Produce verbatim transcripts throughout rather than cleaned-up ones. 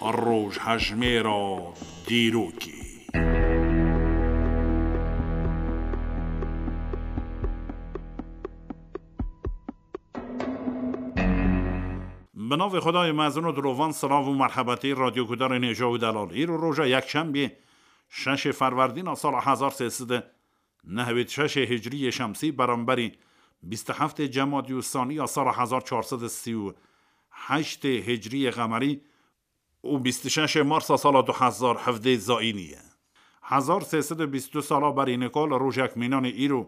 Rojhejmêra dîrokê. Bi navê Xwedayê mezin û dilovan, silav û merhebetî radyogudarên hêja û delal. Îro roja yekşembê, şeşê Ferwerdîna sala hezar sê sed û nehwêd şeşê hicriyê şemsî, beramberî bîst û heftê Cemadî û Sanî ya sala hezar çar sed û sî û heştê hicriyê qemerî û bîst û şeşê Marsa sala du hezar hevdê zayînî ye. Hezar sê sed û bîst û du sala berî nika li rojek mînanê îro,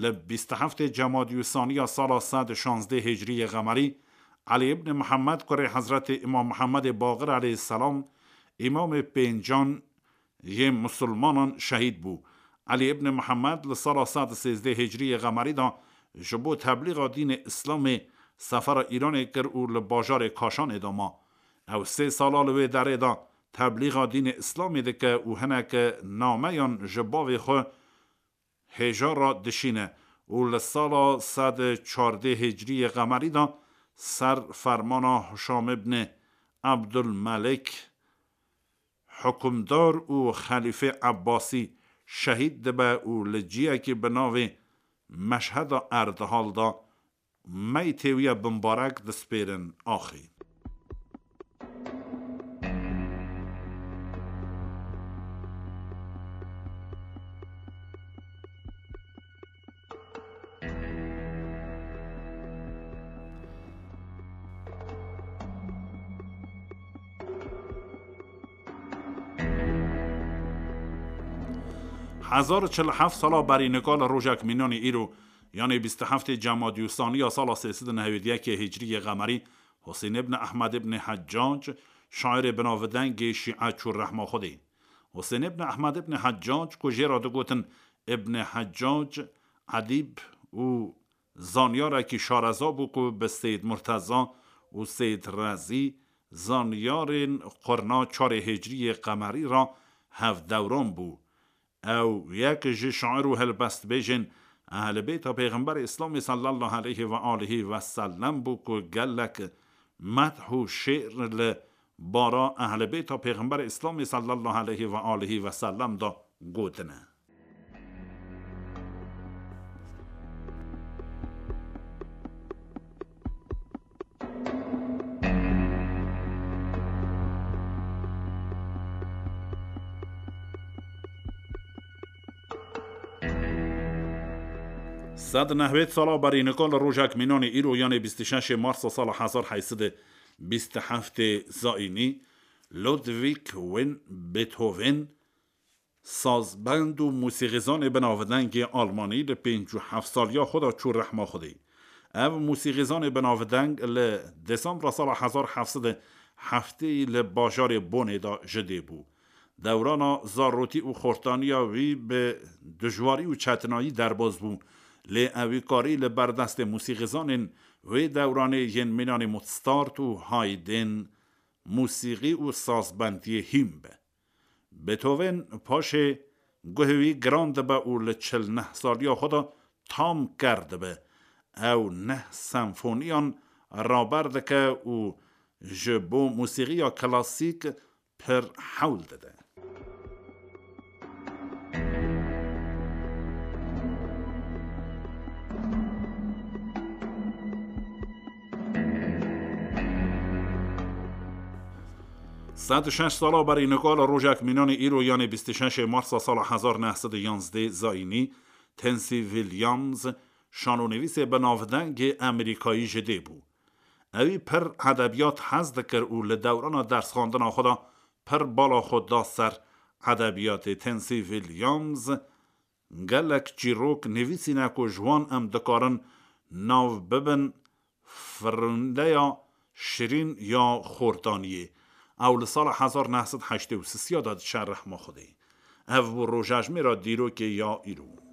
li bîst û heftê Cemadî û Sanî ya sala sed û şazdê hicriyê qemerî, Elî ibn Mihemed kurê Hezretê Îmam Mihemedê Baqir eleyhîsselam, îmamê pêncan yê misilmanan şehîd bû. Elî ibn Mihemed li sala sed û sêzdeh hicriyê qemerî de ji bo teblîxa dînê Îslamê sefera Îranê kir û li bajarê Kaşanê de ma. Ew sê sala li wê derê de teblîxa dînê Îslamê dike û hineke nameyan ji bavê xwe hêja re dişîne û li sala sed û çardeh hicriyê qemerî de ser fermana Hişam ibn Ebdulmelik, hukimdar û xelîfê Ebbasî şehîd dibe û li ciyekî bi navê Meşheda Erdihal de meytê wî ya bimbarek dispêrin axê. Hezar û çil û heft sala berî nika li rojek mînanê îro, yanê bîst û heftê Cemadî û Sanî ya sala sê sed û nehwêd yekê hicriyê qemerî, Husên ibn Ehmed ibn Heccac, şairê binavdengê Şîe çû rehma Xwedê. Husên ibn Ehmed ibn Heccac, ku jê re digotin Ibn Heccac, edîb û zanyarekî şareza bû ku bi Seyyid Murteza û Seyyid Rezî, zanyarên qurna çarê hicriyê qemerî re hevdewran bû. Ew yek ji şair û helbestbêjên Ehlibêta Pêxemberê Îslamê sallallahu aleyhi ve aleyhi ve sellem bû ku gelek medh û şê'r li bara Ehlibêta Pêxemberê Îslamê sallallahu aleyhi ve aleyhi ve sellem de gotine. Sed nehwêd sala berî nika li rojek mînanê îro, yanê bîst û şeşê Marsa sala hezar heyt sed û bîst û heftê zayînî, Ludwig van Beethoven, sazbend û musîxîzanê binavdengê Almanî, li pêncî û heft saliya xwe de çû rehma Xwedê. Ev musîxîzanê binavdeng li Desembra sala hezar heft sed û heftê li bajarê Bonê de ji dê bû. Dewrana zarotî û xortaniya wî bi dijwarî û çetinayî derbas bû, lê ewî karî li ber destê musîxîzanên wê dewranê yên mînanê Mozart û Haydn musîxî û sazbendiyê hîn be. Beethoven paşê guhê wî giran dibe û li çil neh saliya xwe de tam ker dibe. Ew neh senfoniyan raber dike û ji bo musîxiya klasîk pir hewl dide. Sed û şeş sala berî nika li rojek mînanê îro, yanê bîst û şeşê Marsa sala hezar neh sed û yanzdê zayînî, Tennessee Williams, şanonivîsê binavdengê Amerîkayî ji dê bû. Ewî pir edebiyat hez dikir û li dewrana dersxwendina xwe de pir bala xwe da ser edebiyatê. Tennessee Williams gelek çîrok nivîsîne ku ji wan em dikarin nav bibin firindeya şirîn ya xortaniyê. Ew li sala hezar neh sed heştê û sisiya de diçe rehma Xwedê. Ev bû rojejmêra dîrokê ya îro.